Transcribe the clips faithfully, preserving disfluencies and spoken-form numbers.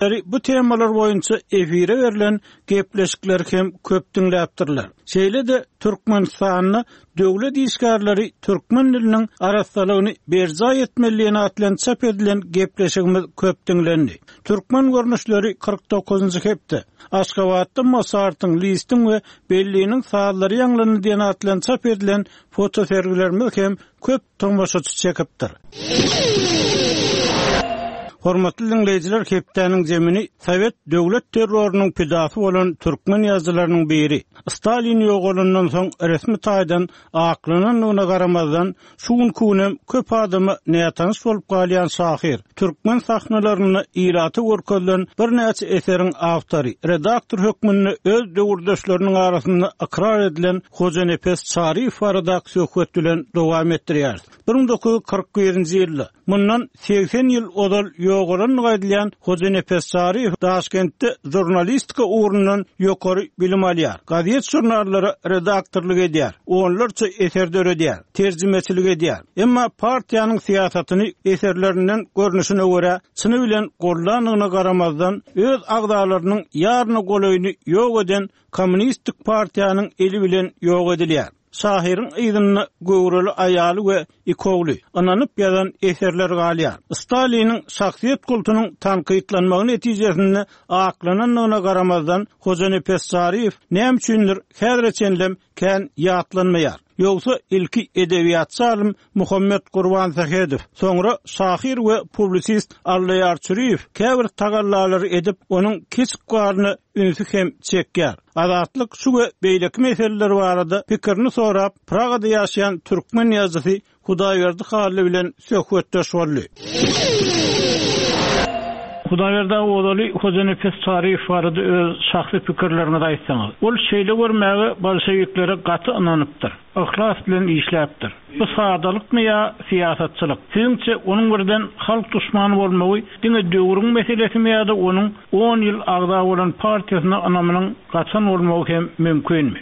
Bu temalar boýunça efire berlen gepleşikler hem köp diňläpdirler. Şeýle-de Türkmenistanda döwlet işgärleri türkmen diliniň arassalygyny berjaý etmeli diýen atly çap edilen gepleşigimiz köp diňlendi. Türkmen görnüşleri kyrk dokuzynjy hepde Aşgabatda Mosartyň, Listiň we Belliniň sazlary ýaňlandy diýen atly çap edilen fotosergilerimiz hem köp tomaşaçy çekipdir. Hormatly dinleýjiler, hepdäniň zemini Sowet döwlet terrorynyň pidasy bolan türkmen ýazyjylarynyň biri Stalin ýogalyndan soň resmi taýdan aklanandygyna garamazdan şu günki günem köp adama nätanyş bolup galýan şahyr, türkmen sahnalarynda ilaty görkezilen birnäçe eseriň awtory, redaktor hökmünde öz döwürdeşleriniň arasynda ykrar edilen Hojanepes Çaryýew baradaky söhbet bilen dowam etdirýäris. bir müň dokuz ýüz kyrk birinji ýylda mundan segsen ýyl ozal ýogalandygy aýdylýan Hojanepes Çaryýew Daşkentde žurnalistika ugrundan ýokary bilim alýar. Gazet žurnallara redaktorlyk edýär, onlarça eser döredýär, terjimeçilik edýär. Emma partiýanyň syýasatyny eserlerinden görnüşine görä çyny bilen gollandygyna garamazdan öz agzalarynyň ýaryny golaýyny ýok eden Kommunistik partiýanyň eli bilen ýok edilýär. Şahyryň yzynda göwreli aýaly we iki ogly, ynanyp ýazan eserler galýar. Staliniň şahsyýet kultunyň tankytlanmagy netijesinde aklanandygyna garamazdan Hojanepes Çaryýew näme üçindir häzire çenlem kän ýatlanmaýar. Ýogsa ilki edebiýatçy alym Muhammet Gurbansähedow, soňra şahyr we publisist Allaýar Çüriýew käbir tagallalary edip, onuň kiçik garyna ünsi hem çekýär. Azatlyk şu we beýleki meseleler barada pikirini sorap, Pragada ýaşaýan türkmen ýazyjysy Hudaýberdi Hally bilen söhbetdeş boldy. Hudaýberdi ozaly Hojanepes Çaryýew barada öz şahsy pikirleriňizi aýtsaňyz. Ol şeýle görmäge bolşewiklere gaty ynanypdyr. Yhlas bilen işläpdir. Bu sadalykmy ýa syýasatçylyk? Siziňçe onuň birden halk duşmany bolmagy diňe döwrüň meselesimi ýa-da onuň on ýyl agza bolan partiýasyna ynamynyň gaçan bolmagy hem mümkinmi?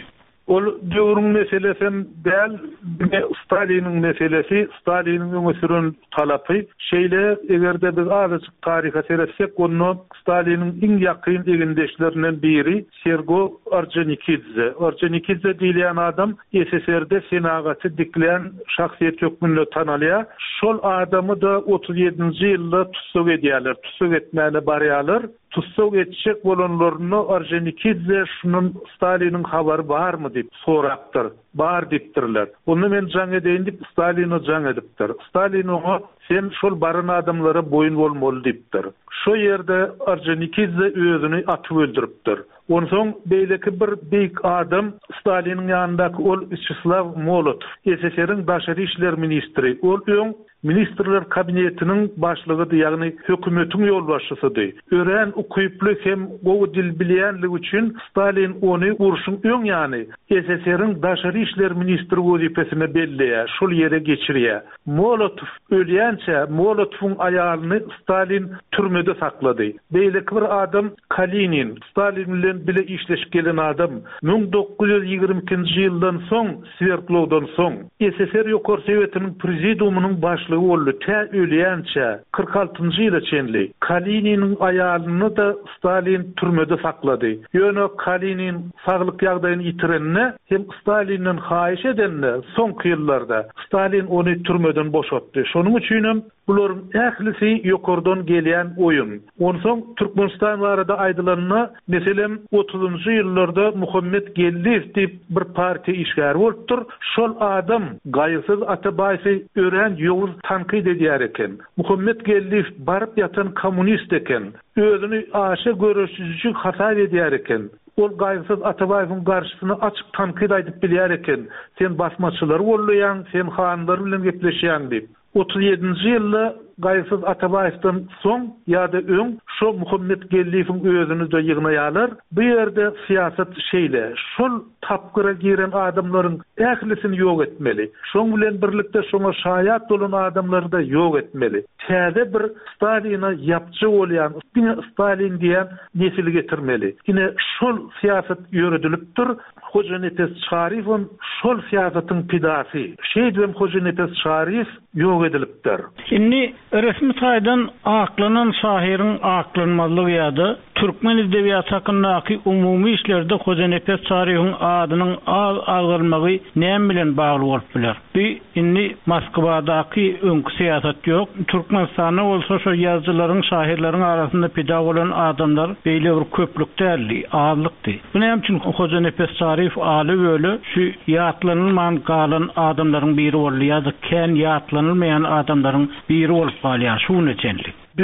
Ol döwrüň meselesi däl, diňe Staliniň meselesi, Staliniň öňe süren talapy. Şeýle eger-de biz azajyk taryha seretsek, onda Staliniň iň ýakyn egindeşlerinden biri Sergo Orjonikidze. Orjonikidze diýilýän adam S S R-de senagaty diklän şahsyýet hökmünde tanalýar. Şol adamy da otuz ýedinji ýylda tussag edýärler, tussag etmäne barýarlar. Tussag etjek bolanlaryna Orjonikidze şunun Staliniň habary barmy diýip sorapdyr. Bar diýipdirler. Onda men jaň edeýin diýip Staline jaň edipdir. Stalin oňa sen şol baran adamlara boýun bolmaly diýipdir. Şo ýerde Orjonikidze özüni atyp öldüripdir. Onsoň beýleki bir beýik adam Staliniň ýanyndaky ol Wýaçeslaw Molotow, S S R-iň daşary işler ministri. Ol öň Ministrler kabinetiniň başlygydy, ýagny hökümetiň ýolbaşçysydy. Örän ukyply hem gowy dil bilýänligi üçin Stalin ony urşuň öň ýany S S R-iň daşary işler ministri wezipesine belleýär, şol ýere geçirýär. Molotow ölýänçä Molotowyň aýalyny Stalin türmede saklady. Beýleki bir adam Kalinin, Stalin bilen bile işleşip gelen adam müň dokuz ýüz ýigrimi ikinji ýyldan soň Swerdlowdan soň S S R Ýokary Sowetiniň prezidiumynyň başlygy boldy. Tä ölýänçä kyrk altynjy ýyla çenli Kalininiň aýalyny da Stalin türmede saklady. Ýöne Kalinin saglyk ýagdaýyny ýitirende hem Stalinden haýyş edende soňky ýyllarda Stalin ony türmeden boşatdy. Şonuň üçin hem bularyň ählisi ýokardan gelýän oýun. Onsoň Türkmenistan barada aýdylanda, meselem otuzynjy ýyllarda Muhammet Geldiýew diýip bir partiýa işgäri bolupdyr. Şol adam Gaýgysyz Atabaýewi örän ýowuz tankyt edýär eken. Muhammet Geldiýew baryp ýatan kommunist eken. Özüni aşa göreşiji hasap edýär eken. Ol Gaýgysyz Atabaýewiň garşysyna açyk tankyt aýdyp bilýär eken. Sen basmaçylary gollaýaň, sen hanlar bilen gepleşýäň diýip. Otuz ýedinji ýylda Gaýgysyz Atabaýewden soň ýa-da öň şo Muhammet Geldiýewiň özüni de ýygnaýarlar. Bu ýerde syýasat şeýle, şol tapgyra giren adamlaryň ählisini ýok etmeli. Şoň bilen birlikde şoňa şaýat bolan adamlary da ýok etmeli. Täze bir Staline ýapjy bolýan, diňe Stalin diýen nesil getirmeli. Ine şol syýasat ýöredilipdir. Hojanepes Çaryýewem şol syýasatyň pidasy. Şeýdibem Hojanepes Çaryýew ýok edilipdir. Indi Resmi taýdan aklanan şahyryň aklanmazlygy ýa-da türkmen edebiýaty hakyndaky umumy işlerde Hojanepes Çaryýewiň adynyň az agzalmagy näme bilen bagly bolup biler? Bu indi Moskwadaky öňki syýasat ýok. Türkmenistanda bolsa şo ýazyjylaryň, şahyrlaryň arasynda pida bolan adamlar beýle bir köplük däldi, azlykdy. Bu näme üçin Hojanepes Çaryýew aly-böle şu ýatlanylman galan adamlaryň biri boldy ýa-da kän ýatlanylmaýan adamlaryň biri bolup galýar şu güne çenli? Bu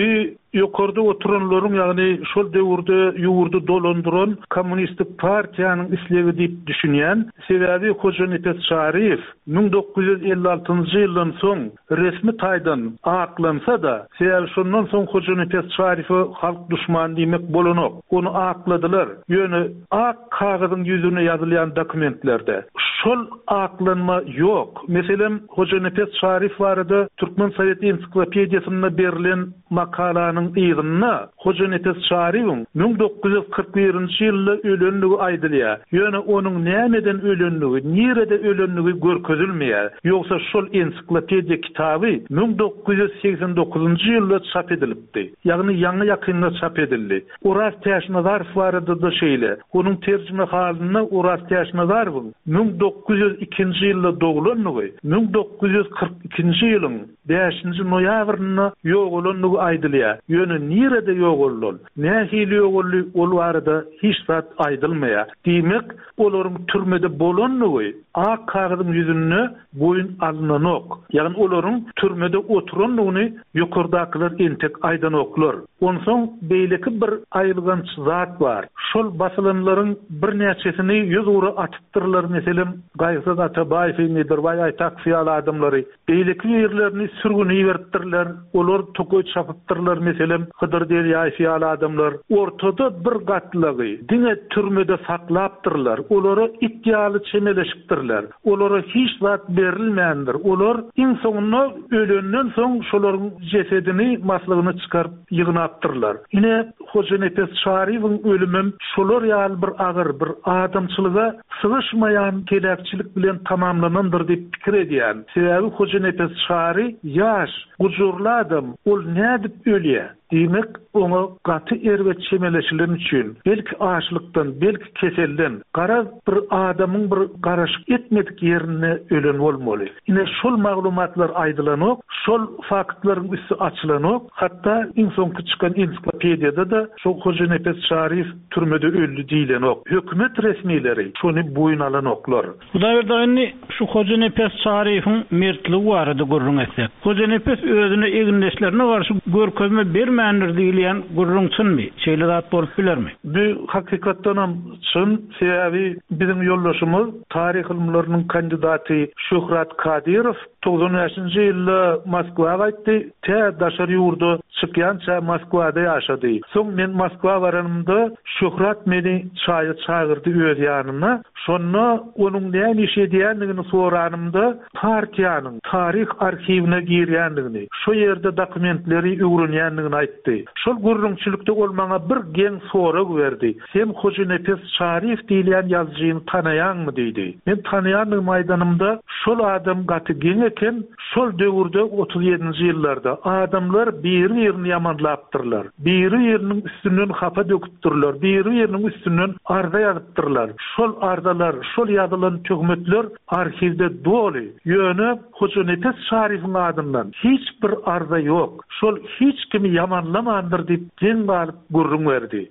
ýokarda oturanlaryň, ýagny şol döwürde ýurdy dolandyran kommunistik partiýanyň islegi diýip düşünýän. Sebäbi Hojanepes Çaryýew müň dokuz ýüz elli altynjy ýyldan soň resmi taýdan aklansa-da, sebäbi şondan soň Hojanepes Çaryýewe halk duşmany diýmek bolanok. Ony akladylar. Ýöne ak kagyzyň ýüzüne ýazylýan dokumentlerde şol aklanma ýok. Meselem, Hojanepes Çaryýew barada Türkmen Sowet ensiklopediýasynda berlen makalanyň yzynda Hojanepes Çaryýewiň müň dokuz ýüz kyrk birinji ýylda ölenligi aýdylýar. Ýöne onuň nämeden ölenligi, nirede ölenligi görkezilmeýär. Ýogsa şol ensiklopediýa kitaby müň dokuz ýüz segsen dokuzynjy ýylda çap edilipdi. Ýagny ýaňy ýakynda çap edildi. Oraz Täçnazarow barada-da şeýle. Onuň terjime halynda Oraz Täçnazarowyň müň dokuz ýüz ikinji ýylda doglanlygy, müň dokuz ýüz kyrk ikinji ýylyň bäşinji noýabrynda ýogalanlygy aýdylýar. Ýöne nirede ýogaldy ol? Nähili ýogaldy ol barada hiç zat aýdylmaýar. Diýmek, olaryň türmede bolanlygy ak kagyzyň ýüzünde boýun alynanok. Ýagny olaryň türmede oturanlygyny ýokardakylar entek aýdanoklar. Onsoň beýleki bir aýylganç zat bar. Şol basylanlaryň birnäçesini ýüz ugra atypdyrlar, meselem, Gaýgysyz Atabaýewi, Nedirbaý Aýtakow ýaly adamlary. Beýleki ýerlerini sürgüni beripdirler, olar tokaý çapypdyrlar, meselem, Hydyr Derýaýew ýaly adamlar. Ortada bir gatlagy diňe türmede saklapdyrlar, olara it ýaly çemeleşipdirler. Olara hiç zat berilmändir. Olar iň soňunda ölenden soň şolaryň jesedini maslygyny çykaryp ýygnapdyrlar. Ine Hojanepes Çaryýewiň ölümem şolar ýaly bir agyr, bir adamçylyga sygyşmaýan heläkçilik bilen tamamlanandyr diýip pikir edýän. Sebäbi Hojanepes Çary ýaş, gujurly adam, ol nädip ölýär? Diýmek, oňa gaty erbet çemeleşilen üçin, belki açlykdan, belki keselden, garaz bir adamyň bir garaşyk etmedik ýerinde ölen bolmaly. Ine şol maglumatlar aýdylanok, şol faktlaryň üsti açylanok, hatda iň soňky çykan ensiklopediýada da şo Hojanepes Çaryýew türmede öldi diýilenok. Hökümet resmileri şony boýun alanoklar. Hudaýberdi indi şu Hojanepes Çaryýewiň mertligi barada gürrüň etsek. Hojanepes özüne egindeşlerine garşy görkezme bermändir diýilýän gürrüň çynmy? Şeýle zat bolup bilermi? Bu hakykatdanam çyn, sebäbi biziň ýoldaşymyz taryh ylymlarynyň kandidaty Şöhrat Kadyrow togsan bäşinji ýylda Moskwa gaýtdy, tä daşary ýurda çykýança Moskwada ýaşady. Soň men Moskwa baranymda Şöhrat meni çaýa çagyrdy öz ýanyna. Şonda onuň näme iş edýändigini soranymda partiýanyň taryh arhiwine girýändigini, şo ýerde dokumentleri öwrenýändigini aýtdy. Şol gürrüňçilikde ol maňa bir geň sorag berdi. Sen Hojanepes Çaryýew diýilýän ýazyjyny tanaýaňmy diýdi. Men tanaýandygymy aýdanymda şol adam gaty geň eken, şol döwürde otuz ýedinji ýyllarda adamlar biri-birini ýamanlapdyrlar. Biri-biriniň üstünden hapa döküpdirler, biri-biriniň üstünden arza ýazypdyrlar. Şol arzalar, şol ýazylan töhmetler arhiwde doly. Ýöne Hojanepes Çaryýewiň adyndan hiç bir arza ýok. Şol hiç kimi ýamanlamandyr diýip geň galyp gürrüň berdi.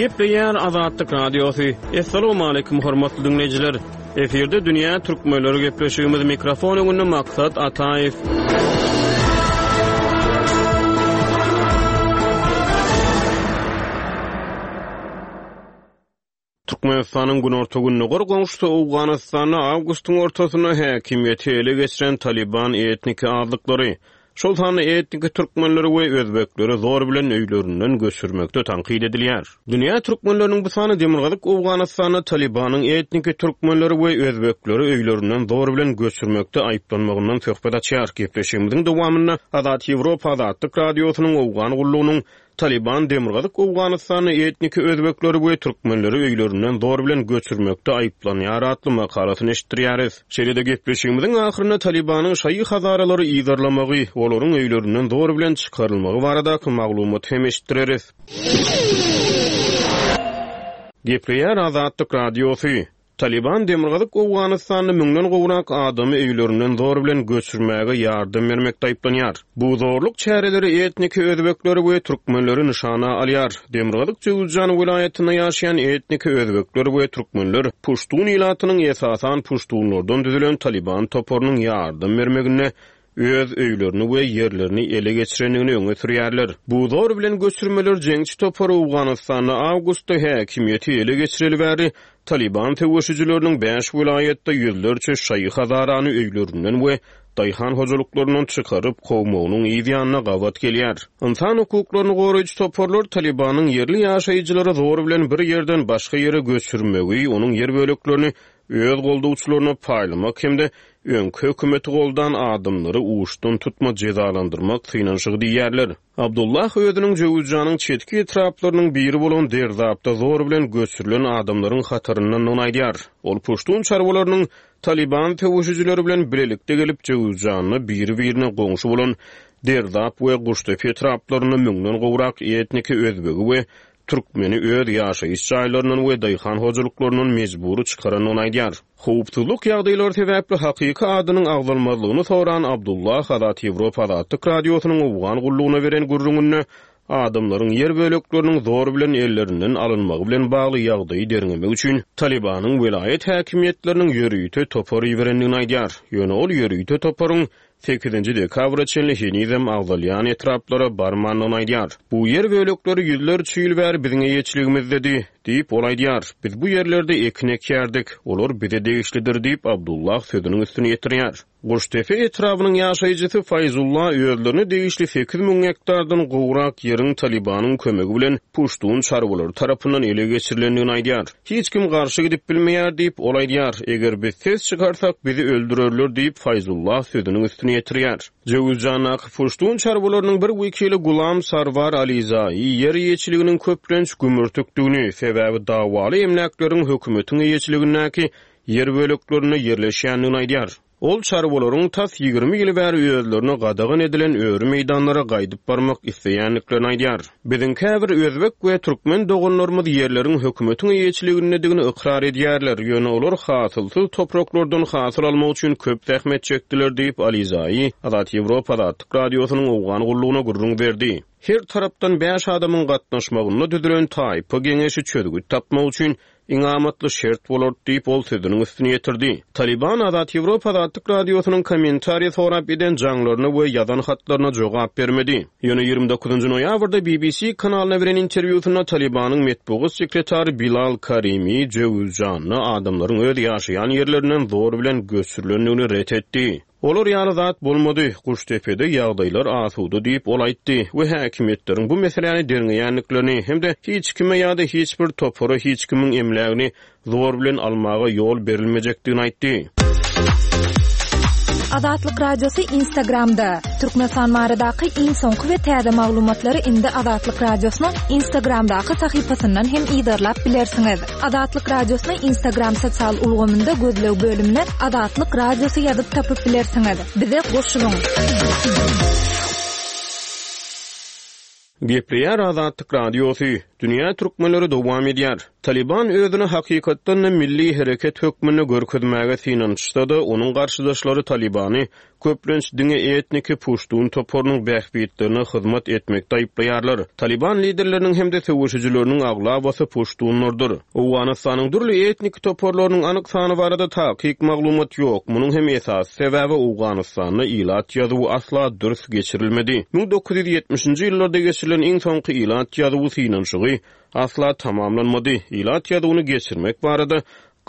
Gepleýär Azatlyk Radiosy. Essalamu aleýkum hormatly dinleýjiler. Efirde Dünýä Türkmenleri gepleşigimiz mikrofon öňünde Maksat Ataýew. Türkmenistanyň günorta-gündogar goňşusy Owganystanda awgustyň ortasynda häkimiýeti ele geçiren Taliban etniki azlyklary, şol sanda etniki türkmenleri we özbekleri zor bilen öýlerinden göçürmekde tankyt edilýär. Dünýä türkmenleriniň bu sany Demirgazyk Owganystanda Talibanyň etniki türkmenleri we özbekleri öýlerinden zor bilen göçürmekde aýyplanmagyndan söhbet açýar. Gepleşigimiziň dowamynda Azat Ýewropa Azatlyk Radiosynyň Owgan gullugynyň Talyban Demirgazyk Owganystanda etniki özbekleri we türkmenleri öýlerinden zor bilen göçürmekde aýyplanýar atly makalasyny eşitdirýäris. Şeýle-de gepleşigimiziň ahyrynda Talybanyň şaýy hazaralary yzarlamagy, olaryň öýlerinden zor bilen çykarylmagy baradaky maglumaty hem eşitdireris. Gepleýär Azatlyk Radiosy. Talyban Demirgazyk Owganystanda müňden gowrak adamy öýlerinden zor bilen göçürmäge ýardam bermekde aýyplanýar. Bu zorluk çäreleri etniki özbekleri we türkmenleri nyşana alýar. Demirgazyk Jöwüzjan welaýatynda ýaşaýan etniki özbekler we türkmenler puştun ilatynyň esasan puştunlardan düzülen Talyban toparynyň ýardam bermeginde öz öýlerini we ýerlerini ele geçirendigini öňe sürýärler. Bu zor bilen göçürmeler jeňçi topary Owganystanda awgustda häkimiýeti ele geçireli bäri Talyban söweşijileriniň bäş welaýatda ýüzlerçe şaýy hazarany öýlerinden we daýhan hojalyklaryndan çykaryp kowmagynyň yz ýanyna gabat gelýär. Ynsan hukuklaryny goraýjy toparlar Talybanyň ýerli ýaşaýjylary zor bilen bir ýerden başga ýere göçürmegi, onuň ýer böleklerini öz goldawçylaryna paýlamak hem-de öňki hökümeti goldan adamlary uçdan tutma jezalandyrmak synanyşygy diýýärler. Abdullah özüniň Jöwüzjanyň çetki etraplarynyň biri bolan Derzapda zor bilen göçürilen adamlaryň hataryndandygyny aýdýar. Ol puştun çarwalarynyň Talyban söweşijileri bilen bilelikde gelip Jöwüzjanda biri-birine goňşy bolan Derzap we Guştepe etraplarynda müňden gowrak etniki özbegi we türkmeni öz ýaşaýyş jaýlaryndan we daýhan hojalyklaryndan mejbury çykarandygyny aýdýar. Howpsuzlyk ýagdaýlary sebäpli hakyky adynyň agzalmazlygyny soran Abdullah Azat Ýewropa Azatlyk Radiosynyň Owgan gullugyna beren gürrüňinde adamlaryň ýer bölekleriniň zor bilen ellerinden alynmagy bilen bagly ýagdaýy derňemek üçin Talybanyň welaýat häkimiýetleriniň ýörite topar iberendigini aýdýar. Ýöne ol ýörite toparyň sekizinji dekabra çenli henizem agzalýan etraplara barmandygyny aýdýar. Bu ýer bölekleri ýüzlerçe ýyl bäri biziň eýeçiligimizdedi, diýip ol aýdýar. Biz bu ýerlerde ekin ekýärdik, olar bize degişlidir diýip Abdullah sözüniň üstüni ýetirýär. Guştepe etrabynyň ýaşaýjysy Faýzullah özlerine degişli sekiz müň gektardan gowrak ýeriň Talybanyň kömegi bilen puştun çarwalary tarapyndan ele geçirilendigini aýdýar. Hiç kim garşy gidip bilmeýär diýip ol aýdýar. Eger biz ses çykarsak bizi öldürerler diýip Faýzullah sözüniň üstüni ýetirýär. Jöwüzjandaky puştun çarwalarynyň bir wekili Gulam Sarwar Alizai ýer eýeçiliginiň köplenç gümürtikdigini, sebäbi dawaly emläkleriň hökümetiň eýeçiligindäki ýer böleklerinde ýerleşýändigini aýdýar. Ol çarwalaryň tas ýigrimi ýyl bäri özlerine gadagan edilen öri meýdanlara gaýdyp barmak isleýändiklerini aýdýar. Biziň käbir özbek we türkmen doganlarymyz ýerleriň hökümetiň eýeçiligindedigini ykrar edýärler. Ýöne olar hasylsyz topraklardan hasyl almak üçin köp zähmet çekdiler diýip Alizai Azat Ýewropa Azatlyk Radiosynyň Owgan gullugyna gürrüň berdi. Her tarapdan bäş adamyň gatnaşmagynda düzülen taýpa geňeşi çözgüt tapmak üçin iň amatly şert bolar diýip ol sözüniň üstüni ýetirdi. Talyban Azat Ýewropa Azatlyk Radiosynyň kommentariýa sorap eden jaňlaryna we ýazan hatlaryna jogap bermedi. Ýöne ýigrimi dokuzynjy noýabrda B B C kanalyna beren interwýusynda Talybanyň metbugat sekretary Bilal Karimi Jöwüzjanda adamlaryň öz ýaşaýan ýerlerinden zor bilen göçürilendigini ret etdi. Olar ýaly zat bolmady, Guştepede ýagdaýlar asuda diýip ol aýtdy we häkimiýetleriň bu meseläni derňeýändiklerini hem-de hiç kime ýa-da hiç bir topara hiç kimiň emlägini zor bilen almaga ýol berilmejekdigini aýtdy. Azatlyk Radiosy Instagramda. Türkmenistan baradaky iň soňky we täze maglumatlary indi Azatlyk Radiosynyň Instagramdaky sahypasyndan hem yzarlap bilersiňiz. Azatlyk Radiosyny Instagram sosial ulgamynda gözleg bölümine Azatlyk Radiosy ýazyp tapyp bilersiňiz. Bize goşulyň. Gepleýär Azatlyk Radiosy. Dünýä türkmenleri dowam edýär. Taliban özüni hakykatdan da milli hereket hökmünde görkezmäge synanyşsa-da, onuň garşydaşlary Talibany köplenç diňe etniki puştun toparynyň bähbitlerine hyzmat etmekde aýyplaýarlar. Taliban liderleriniň hem-de söweşijileriniň aglabasy puştunlardyr. Owganystanyň dürli etniki toparlarynyň anyk sany barada takyk maglumat ýok. Munuň hem esasy sebäbi Owganystanda ilat ýazuwy asla dürs geçirilmedi. Müň dokuz ýüz ýetmişinji ýyllarda geçirilen iň soňky ilat ýazuwy synanyşygy asla tamamlanmady. Ilat ýazuwyny geçirmek barada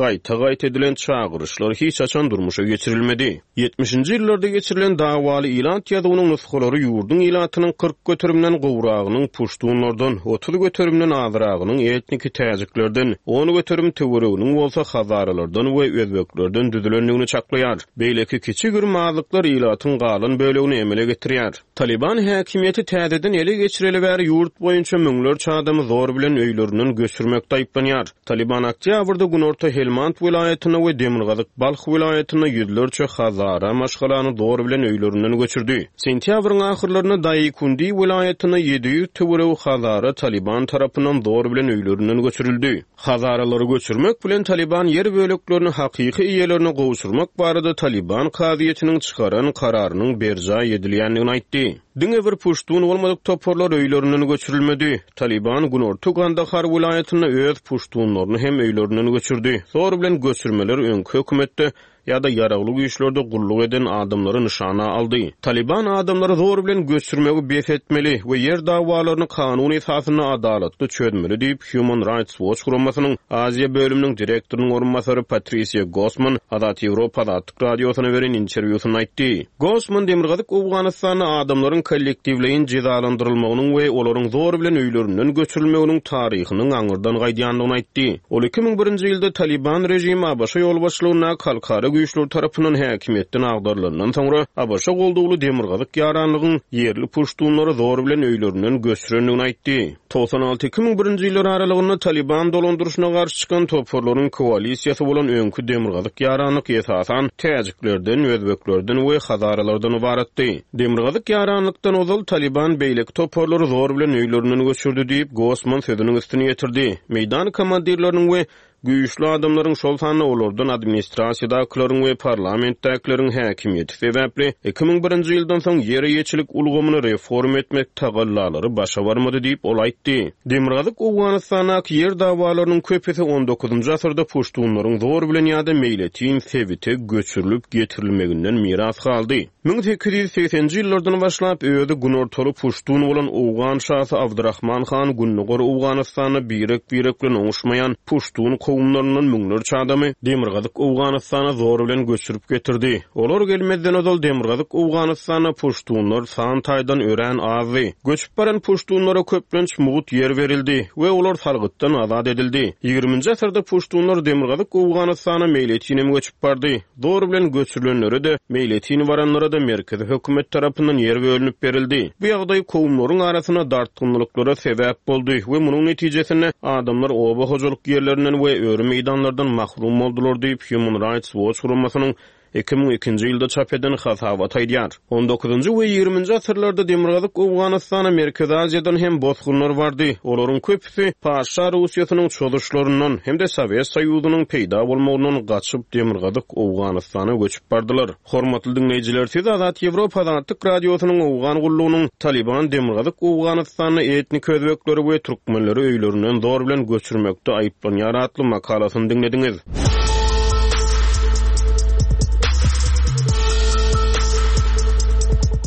gaýta-gaýta edilen çagyryşlar hiç haçan durmuşa geçirilmedi. Ýetmişinji ýyllarda geçirilen dawaly ilat ýazuwynyň nusgalary ýurduň ilatynyň kyrk göterimden gowragynyň puştunlardan, otuz göterimden azragynyň etniki täjiklerden, on göterim töwereginiň bolsa hazaralardan we özbeklerden düzülendigini çaklaýar. Beýleki kiçi-girim azlyklar ilatyň galan bölegini emele getirýär. Taliban häkimiýeti täzeden ele geçireli bäri ýurt boýunça müňlerçe adamy zor bilen öýlerinden göçürmekde aýyplanýar. Taliban oktýabrda Günorta Helmand welaýatynda we Demirgazyk Balh welaýatynda ýüzlerçe hazara maşgalany zor bilen öýlerinden göçürdi. Sentýabryň ahyrlarynda Daýkundi welaýatynda ýedi ýüz töweregi hazara Taliban tarapyndan zor bilen öýlerinden göçürildi. Hazaralary göçürmek bilen Taliban ýer böleklerini hakyky eýelerine gowşurmak barada Taliban kazyýetiniň çykaran kararynyň berjaý edilýändigini aýtdy. Diňe bir puştun bolmadyk toparlar öýlerinden göçürilmedi. Taliban Günorta Kandahar welaýatynda öz puştunlaryny hem öýlerinden göçürdi. Zor bilen göçürmeler öňki hökümetde ýa-da ýaragly güýçlerde gulluk eden adamlary nyşana aldy. Taliban adamlary zor bilen göçürmegi bes etmeli we ýer dawalaryny kanun esasynda adalatly çözmeli diýip Human Rights Watch guramasynyň Aziýa bölüminiň direktorynyň orunbasary Patricia Gosman Azat Ýewropa Azatlyk radiosyna beren interwýusynda aýtdy. Gosman Demirgazyk Owganystanda adamlaryň kollektiwleýin jezalandyrylmagynyň we olaryň zor bilen öýlerinden göçürilmeginiň taryhynyň aňyrdan gaýdýandygyny aýtdy. Ol iki müň birinji ýylda Taliban režimi ABŞ ýolbaşçylygyndaky halkara güýçler tarapyndan häkimiýetden agdarylandan soňra ABŞ goldawly Demirgazyk ýaranlygyň ýerli puştunlary zor bilen öýlerinden göçürendigini aýtdy. Togsan alty iki müň birinji ýyllar aralygynda Taliban dolandyryşyna garşy çykan toparlaryň koalisiýasy bolan öňki Demirgazyk ýaranlyk esasan täjiklerden, özbeklerden we hazaralardan ybaratdy. Demirgazyk ýaranlykdan ozal Taliban beýleki toparlary zor bilen öýlerinden göçürdi diýip Gosman sözüniň üstüni ýetirdi. Meýdan komandirleriniň we güýçli adamlaryň, şol sanda olardan administrasiýadakylaryň we parlamentdäkileriň häkimiýeti sebäpli iki müň birinji ýyldan soň ýer eýeçilik ulgamyny reform etmek tagallalary başa barmady diýip ol aýtdy. Demirgazyk Owganystandaky ýer dawalarynyň köpüsi on dokuzynjy asyrda puştunlaryň zor bilen ýa-da meýletin sebite göçürilip getirilmeginden miras galdy. Müň sekiz ýüz segsenji ýyllardan başlap özi günortaly puştun bolan Owgan şasy Abdurrahman han Gündogar Owganystanda birek-birek bilen oňuşmaýan puştun kowumlaryndan müňlerçe adamy Demirgazyk Owganystana zor bilen göçürip getirdi. Olar gelmezden ozal Demirgazyk Owganystanda puştunlar san taýdan örän azdy. Göçüp baran puştunlara köplenç mugt ýer berildi we olar salgytdan azat edildi. Ýigriminji asyrda puştunlar Demirgazyk Owganystana meýletinem göçüp bardy. Zor bilen göçürilenlere de meýletin baranlara da merkezi hökümet tarapyndan ýer bölünip berildi. Bu ýagdaý kowumlaryň arasynda dartgynlyklara sebäp boldy we munuň netijesinde adamlar oba hojalyk ýerlerinden we öri meýdanlardan mahrum boldular diýip Human Rights Watch guramasynyň iki müň ikinji ýylda çap eden hasabat aýdýar. On dokuzynjy we ýigriminji asyrlarda Demirgazyk Owganystana Merkezi Aziýadan hem bosgunlar bardy. Olaryň köpüsi Paşa Russiýasynyň çozuşlaryndan hem-de Sowet Soýuzynyň peýda bolmagyndan gaçyp Demirgazyk Owganystana göçüp bardylar. Hormatly dinleýjiler, siz Azat Ýewropa Azatlyk Radiosynyň Owgan gullugynyň Taliban Demirgazyk Owganystanda etnik özbekleri we türkmenleri öýlerinden zor bilen göçürmekde aýyplanýar atly makalasyny diňlediňiz.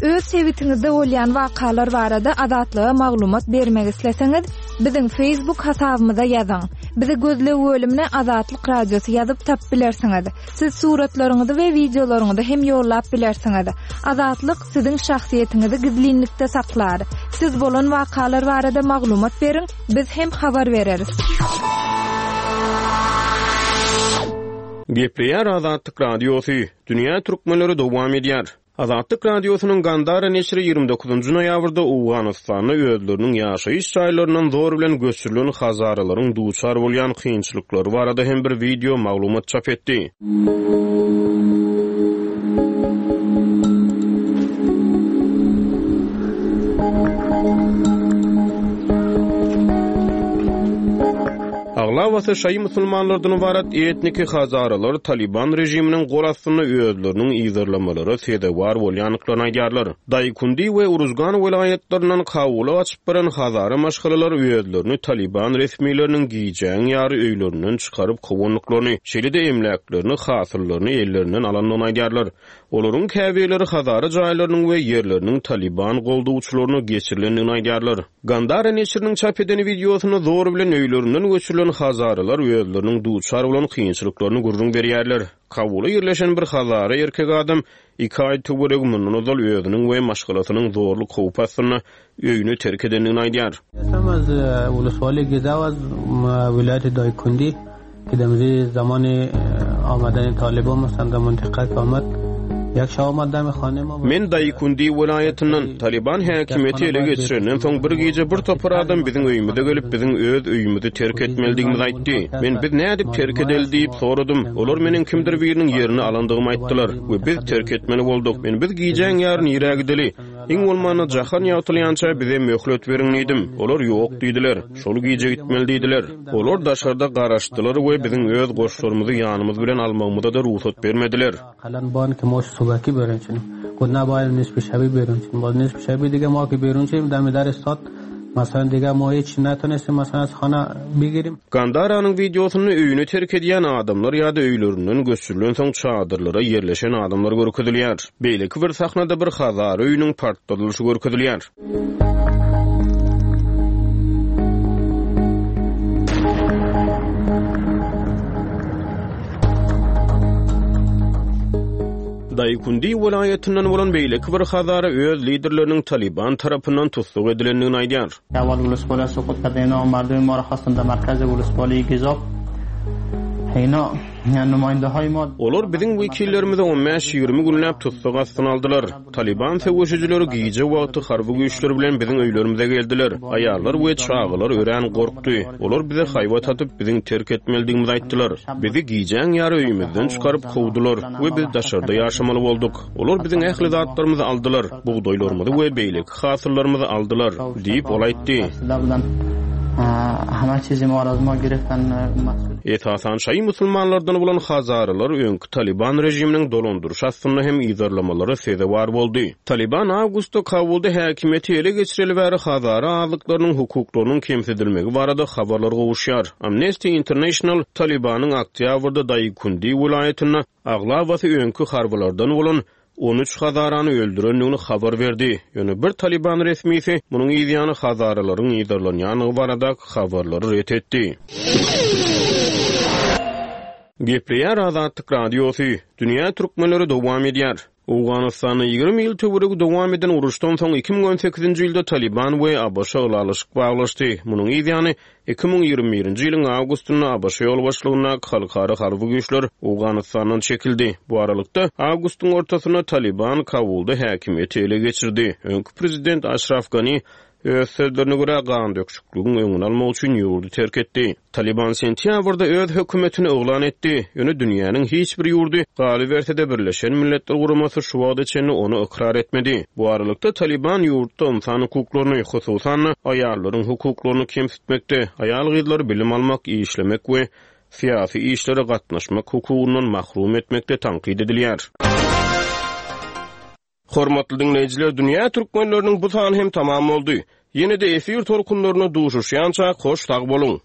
Öz sebitiňizde bolýan wakalar barada Azatlyga maglumat bermek isleseňiz, biziň Facebook hasabymyza ýazyň. Bizi gözleg bölümine Azatlyk Radiosy ýazyp tap bilersiňiz. Siz suratlaryňyzy we wideolaryňyzy hem ýollap bilersiňiz. Azatlyk siziň şahsyýetiňizi gizlinlikde saklar. Siz bolan wakalar barada maglumat beriň, biz hem habar bereris. Gepleýär Azatlyk Radiosy, Dünýä Türkmenleri dowam edýär. Azatlyk Radiosynyň Gandara neşiri ýigrimi dokuzynjy noýabrda Owganystanda özleriniň ýaşaýyş jaýlaryndan zor bilen göçürilen hazaralaryň duçar bolýan kynçylyklary barada hem bir video maglumat çap etdi. Aglabasy şaýy musulmanlardan ibarat etniki hazaralar Taliban režiminiň gol astynda özleriniň yzarlamalara sezewar bolýandyklaryny aýdýarlar. Daýkundi we Uruzgan welaýatlaryndan Kabula gaçyp baran hazara maşgalalar özlerini Taliban resmileriniň gijäň ýary öýlerinden çykaryp kowandyklaryny, şeýle-de emläklerini, hasyllaryny ellerinden alandygyny aýdýarlar. Olaryň käbirleri hazara jaýlarynyň we ýerleriniň Taliban goldawçylaryna geçirilendigini aýdýarlar. Gandara neşiriniň çap eden wideosynda zor bilen öýlerinden göçürilen hazaralar hazaralar özleriniň duçar bolan kynçylyklaryny gürrüň berýärler. Kabulda ýerleşen bir hazara erkek adam iki aý töweregi mundan ozal özüniň we maşgalasynyň zorluk howpy astynda öýüni terk edendigini aýdýar. Men Daýkundi welaýatyndan. Talyban häkimiýeti ele geçirenden soň bir gije bir topar adam biziň öýümize gelip, biziň öz öýümizi terk etmelidigimizi aýtdy. Men biz nädip terk edeli diýip soradym. Olar meniň kimdir biriniň ýerini alandygymy aýtdylar we biz terk etmeli bolduk. Men biz gijäň ýary nirä gideli? Iň bolmanda jahan ýagtylýança bize möhlet beriň diýdim. Olar ýok diýdiler. Şol gije gitmeli diýdiler. Olar daşarda garaşdylar we biziň öz goşlarymyzy ýanymyz bilen almagymyza-da rugsat bermediler. Gandaranyň wideosynda öýüni terk edýän adamlar ýa-da öýlerinden göçürilensoň çadyrlara ýerleşen adamlar görkezilýär. Beýleki bir sahnada bir hazara öýüniň partladylyşy görkezilýär. Daýkundi welaýatyndan bolan beýleki bir hazara öz liderleriniň Talyban tarapyndan tussag edilendigini aýdýar. Olar biziň wekillerimizi on bäş-ýigrimi günläp tussag astyna aldylar. Talyban söweşijileri gije wagty harby güýçler bilen biziň öýlerimize geldiler. Aýallar we çagalar örän gorkdy. Olar bize haýbat atyp, biziň terk etmelidigimizi aýtdylar. Bizi gijäň ýary öýümizden çykaryp kowdular we biz daşarda ýaşamaly bolduk. Olar biziň ähli zatlarymyzy aldylar, bugdaýlarymyzy we beýleki hasyllarymyzy aldylar, diýip ol aýtdy. Esasan şaýy musulmanlardan bolan hazaralar öňki Taliban režiminiň dolandyryş astynda hem yzarlamalara sezewar boldy. Taliban awgustda Kabulda häkimiýeti ele geçireli bäri hazara azlyklarynyň hukuklarynyň kemsidilmegi barada habarlar gowuşýar. Amnesty International Talibanyň oktýabrda Daýkundi welaýatynda aglabasy öňki harbylardan bolan on üç hazarany öldürendigini habar berdi. Ýöne bir Taliban resmisi munuň ýany hazaralaryň yzarlanýandygy barada habarlary ret etdi. Gepleýär Azatlyk Radiosy, Dünýä türkmenleri dowam edýär. Owganystanda ýigrimi ýyl töweregi dowam eden uruşdan soň iki müň on sekizinji ýylda Taliban we ABŞ ylalaşyk baglaşdy. Munuň ýany iki müň ýigrimi birinji ýylyň awgustynda ABŞ ýolbaşçylygyndaky halkara harby güýçler Owganistandan çekildi. Bu aralykda awgustyň ortasynda Taliban Kabulda häkimiýeti ele geçirdi. Öňki prezident Aşraf Gani öz sözlerine görä gan döküşikligiň öňüni almak üçin ýurdy terk etdi. Taliban sentýabrda öz hökümetini yglan etdi. Ýöne dünýäniň hiç bir ýurdy galyberse-de Birleşen Milletler Guramasy şu wagta çenli ony ykrar etmedi. Bu aralykda Taliban ýurtda ynsan hukuklaryny, hususan-da aýallaryň hukuklaryny kemsitmekde, aýal-gyzlary bilim almak, işlemek we syýasy işlere gatnaşmak hukugyndan mahrum etmekde tankyt edilýär. Hormatly dinleýjiler, dünýä türkmenleriniň bu sany hem tamam boldy. Ýene-de efir tolkunlaryna duşuşýança hoş sag boluň.